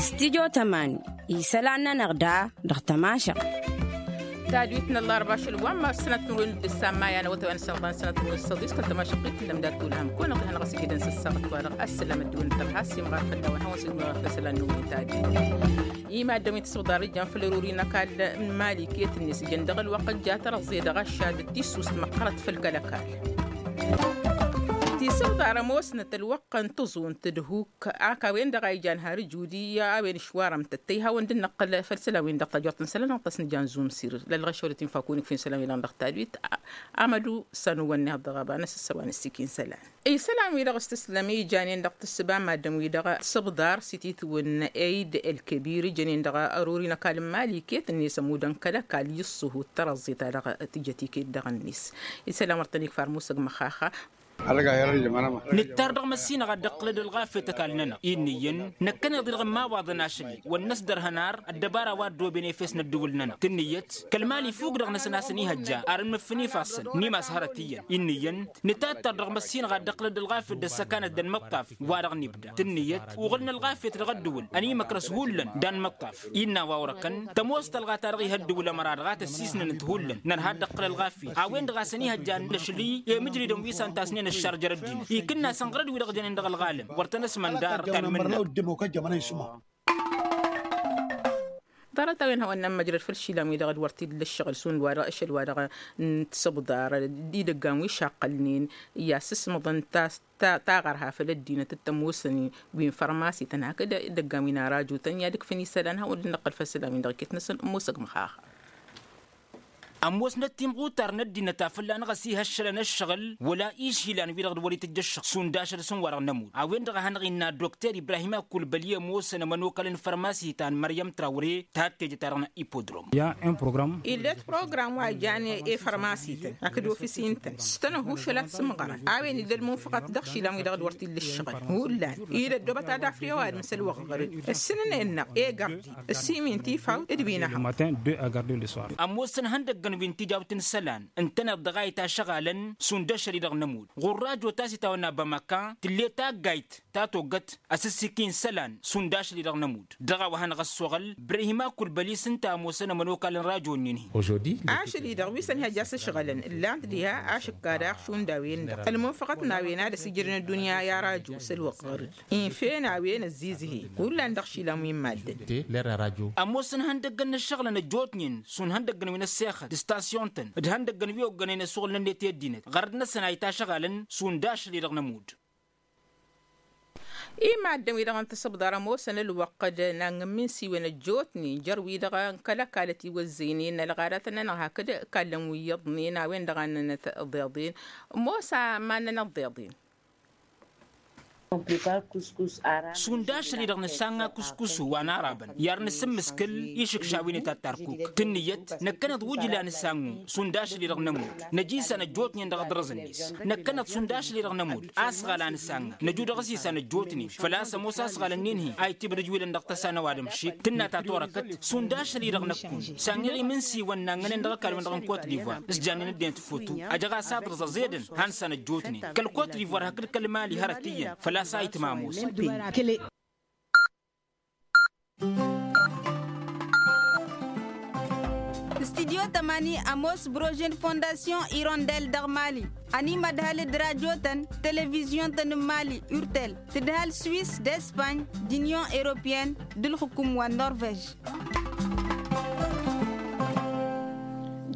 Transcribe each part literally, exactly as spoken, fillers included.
Stidyo tămani isălan-nănăɣ da dăɣ-tămašăɣt. Tadwit n-ăllarba ašăl wa n-mars sănăt n-urwen d-ǝssan maya n-awătay wa n-sănăt n-sănăt n-urwen s-săḍis kăl-tămašăɣt-t n-lămdat ulham kăwăn-ăɣ-tăn-hanăɣ-s ijidăn s-ăssaɣăt-wa-dăɣ ăssălam ăddăwăn n-tărha s-imɣar fălla-wen hawăn-s dd-măɣar făll-isălan n-umin tadwit. Imaddăn wi n-tisǝbḍar ǝjjăn făll-ărori n-ăkall n-imali iket-net ǝjăn dăɣ-ălwăqq ǝjja tărăẓẓe dăɣ-aššad d-tissust măqqărăt făll-kăl-ăkall. Tisǝbḍar ămoosnăt ălwăqq n-tăẓunt d-huk ak a-wen-dăɣ a ijan har ǝjudi a-wen ǝšwarăm tăttăy hawăn-dd-năqqǝl făll-isălan-win-dăɣ tajort n-isălan-năɣ tăsnǝjan zumsir lălɣăšăwălăt infa kunǝk fi n-isălan-wi-dăɣ dăɣ-tadwit. Amădu s-anǝwwăn-net dăɣ-aba n-asǝssăwa n-ăssikin isălan. Isălan-wi-dăɣ s-tǝslăm ijanen dăɣ-tǝssǝba n-maddǝm-wi-dăɣ tisǝbḍar s-ititwǝn eid el-kebir ijănen dăɣ-ărori n-ăkall n-imali iket-net ămudăn kăl-ăkall i-ǝṣṣuhu d-tărăẓẓe-ta-dăɣ tǝjăt iket dăɣ-net. Isălan wăr tăn-ikfar musăg măxaxa. Nǝttar dăɣ-măssinăɣ ad-dd-ăqqǝlăd ălɣafyăt ăkall-nănăɣ-i ǝnniyăn năkkăneḍ-i-dăɣ n-imawaḍăn ašăl-i wăr năsdărhăn ar ăddăbara wa ăddooben efes n-ăddǝwǝl-nănăɣ tǝnnǝyăt kăl-imali fuk dăɣ-năsăn a-s ănihăjja ar ǝnmǝffǝn ifassăn n-imas hărăt iyyăn ǝnniyăn. Nǝtattăr dăɣ-măssinăɣ ad-dd-ăqqǝlăd ălɣafyăt d-ăssăkanăt d-anmăṭṭaf wa-dăɣ n-ibda tǝnnǝyăt uɣǝlăn ălɣafyăt dăɣ-ăddǝwǝl ănimăkrăs hullan d-anmăṭṭaf. Innă a-wa wăr-ăkkăn tămoos talɣa-ta-dăɣ ih' ăddǝwǝl ămăra-dăɣ a tăssisnănăt hullan nărha ad-dd-ăqqǝl ălɣafyăt a-wen-dăɣ a-s ănihăjja n-ašli i-imǝjridăn wi s-ăntasnen ăššarjăr ăddinăt ikǝnna a-s ănɣărăd wi-dăɣ jănen dăɣ-ălɣalăm wăr tăn-ăsmăndar. Ḍarăt-a-wen hawăn-nămmăjrăd făll-išilan-wi-dăɣ d-wăr t-illa ǝššăɣǝl šund wa-dăɣ ašăl wa-dăɣ n-tisǝbḍar d-idăggan wi šaqqălnen i-asǝsmăḍăn tas taɣărha făll-ăddinăt d-tămoosăn wi n-fărmasităn hakd idăggan wi n-arajutăn i-ad-ǝkfǝn isălan hawăn-dd-năqqăl făll-isălan-wi-dăɣ iket-năsăn ămoosăg măxaxa. Ămoosnăt timɣutar n-ăddinăt a fălla-năɣ ăsihăššălăn ăššăɣǝl wăla išilan-wi-dăɣ d-wăr-itǝjj ăššăɣ šund ašăl s-ǝnn wa-dăɣ n-ămudd a-wen-dăɣ a hanăɣ-innă dokter ibrahim akulbăli ămoosăn ămănokal n-fărmasi ta n-măryăm trawre ta t-tejăt-a-dăɣ n-ipodrom. Ill'-et program wa ijan i-fărmasităn hakd ofis-i ǝntăn s-tăn-ăhušăl ad-sǝmɣărăn a-wen illa ălmunfăɣăt dăɣ-išilan-wi-dăɣ d-wăr t-illa ǝššăɣǝl hullan dd-ăddoobăt ad-afr i-ăwadǝm s-ălwăɣɣăr-dd ǝssǝnăn-enăɣ i-gărdi ăssimin tifawt d-wi n-ehăḍ. Ămoosăn ihăndăggăn wi n-tijawt n-isălan ǝntăneḍ dăɣ-a itašăɣalăn šund ašăl-i-dăɣ n-ămudd ɣur-rajo ta s-itawănna bamăka tǝlle taggayt ta toggăt asǝssiki n-isălan šund ašăl-i-dăɣ n-ămudd dăɣ-a-wa hanăɣ-ăssoɣăl brehima kulbălis ǝnta a ămoosăn ămănokal n-rajo-nin-hi. Ašăl-i-dăɣ wi s-ănhăjja s-ǝšɣălăn ǝllan-t diha ašǝkka daɣ šund a-wen-dăɣ ălmunfăɣăt n-a-wen ad-ăsijrǝn ăddunya i-arajo s-ălwăqqăr-dd infen a-wen ăzzizǝhe hullan dăɣ-išilan wi n-maddǝn. Ămoosăn ihăndăggăn n-ǝššăɣǝlăn ăjjootnen šund ihăndăggăn wi n-ăssexăt d-stasyon-tăn d-ihăndăggăn wi oggănen asuɣǝl n-ănniyăt i-ăddinăt ɣărăt-năsăn a itašăɣalăn šund ašăl-i-dăɣ n-ămudd. I-maddǝn-wi-dăɣ n-tisǝbḍar ămoosăn ălwăqq d-nangǝmmi n-siwen ăjjootnen jer-wi-dăɣ n-kăl-ăkall ătiwăzzăynen ălɣadatăn-nănăɣ hakd ikallăn wi iyyăḍnen a-wen-dăɣ a ǝnnănăt ăḍeḍen. Ămoos a iman-nănăt ăḍeḍen. Šund ašăl-i-dăɣ nǝssanɣa kuskusu wa n-arabăn i-ad-nǝsǝmmǝskǝl išǝkša wi n-itattar kuk tǝnnǝyăt năkkăneḍ wǝjla nǝsannu šund ašăl-i-dăɣ n-ămudd năj isan ăjjootnen dăɣ-aḍrǝẓ-net. Năkkăneḍ šund ašăl-i-dăɣ n-ămudd asɣal a nǝsanna năju dăɣ-s isan ăjjootnen făl-a-s ămoos asɣal-ǝnnin-hi a itibdǝj wi lăn dăɣ-tăsa n-ăwadǝm šik tǝnna ta torăkăt šund ašăl-i-dăɣ năkkun. Sanɣeɣ imǝnsiwăn nangănen dăɣ-ăkall-wen-dăɣ n-kot divoir s-jannen ăddinăt foto. Ăjăɣ-as aḍrǝẓ ăẓedăn han s-anăjjootnen kăl-kot divoir hakd kăl-mali hărăt iyyăn făl-a-s a itmămos. Studyo tămani ămoos brožen fondasyon irondel dăɣ-mali ănimădhal d-rajotăn televizyon-tăn n-mali urtel tǝdhal swis d-espany d-inyon europyen d-ǝlxǝkum wa n-norvej.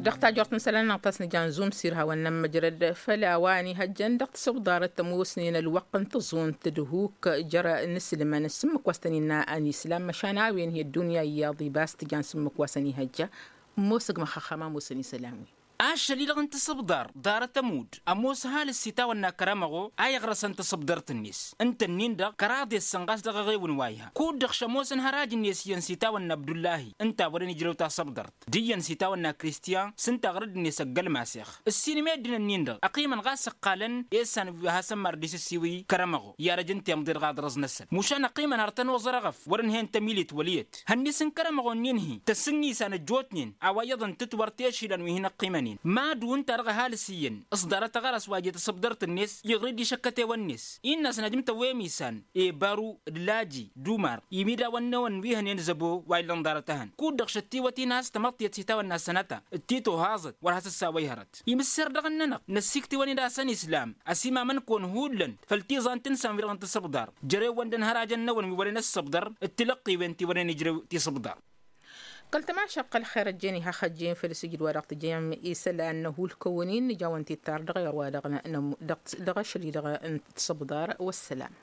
Dăɣ-tajort n-isălan-năɣ ta s-nǝjan zumsir hawăn-nămmăjrăd făll-a-wa ănihăjjăn dăɣ-tisǝbḍarăt tămoosnen ălwăqq n-tăẓunt d-huk jer-inǝslǝmăn s-ǝmmǝk wa s-tăn-innă anislam măšan a-wen hi-ăddunya iyyăḍ ibas tǝjan s-ǝmmǝk wa s-ănihăjja. Ămoosăg măxăxăm a ămoosăn isălan-wi. Ašăl-i-dăɣ n-tisǝbḍar ḍarăt ămudd ămoos ăhalǝs s-itawănna kăramăɣo a iɣrăsăn tasǝbḍărt-net ǝnta-nin-dăɣ kăraḍ i-ăssănɣas dăɣ-eɣewǝn wa iha kud-dăɣ šămoosăn hăraj-net iyyăn s-itawănna abdullahi ǝnta a wărăn ijrew tasǝbḍărt d-iyyăn s-itawănna kristiyan s-ǝnta a ɣărăd-net ăggălmasex. Ǝssin meddǝn-ǝnnin-dăɣ ăqqimăn ɣas ǝqqalăn i-issan wi hasăn-mardis ǝssiwǝy kăramăɣo i-arăj n-temḍe dăɣ-aḍrăẓ-năsăn mušan ăqqimăn har tăn-oẓăr eɣăf wăr-ǝnhăyăn tămilit wăl' iyyăt. Hănnis n-kăramăɣo-nin-hi tăsǝnni isan ăjjootnen a-wa iyyăḍ ǝntǝt wăr t-ešilan wi hin-ăqqimăn. Mad-wǝnta-dăɣ ăhalǝs iyyăn ǝṣḍarăt aɣăras wa jet asăbdărt-net iɣrǝd išăkkăt ewăn-net innă a-s n-ajǝm tăwwem isan, ebaru d-laji d-umar imidawăn-năwăn wi hănen zăbo wa illăn ḍarăt ehăn kud-dăɣ šăttiwăt-in a-s tamăḍt i-ăssitawănna sănăta d-tito haẓăt wăr has-ăssawăyhărăt. Imǝssir dăɣ-ǝnnănăɣ năssiktǝwăn-dd a-s ănislam ăsimamăn-kăwăn hullan făll-tiẓant n-san-wi-dăɣ n-tisǝbḍar. Jere-wăn d-ănhărajăn-năwăn wi wărăn ăssăbḍăr d-tilăqqewen ti wărăn ijrew tisǝbḍar. Kăl-tămašăɣt kăl-xer ăjjeen iha xăjjeen făll-sǝjǝd wa dăɣ-tǝjjăyăm isălan n-hulkăwăn-in nǝja-wăn tittar dăɣ-iɣr wa dăɣ-n dăɣ-ašăl-i-dăɣ n-tisǝbḍar. Wăssălam.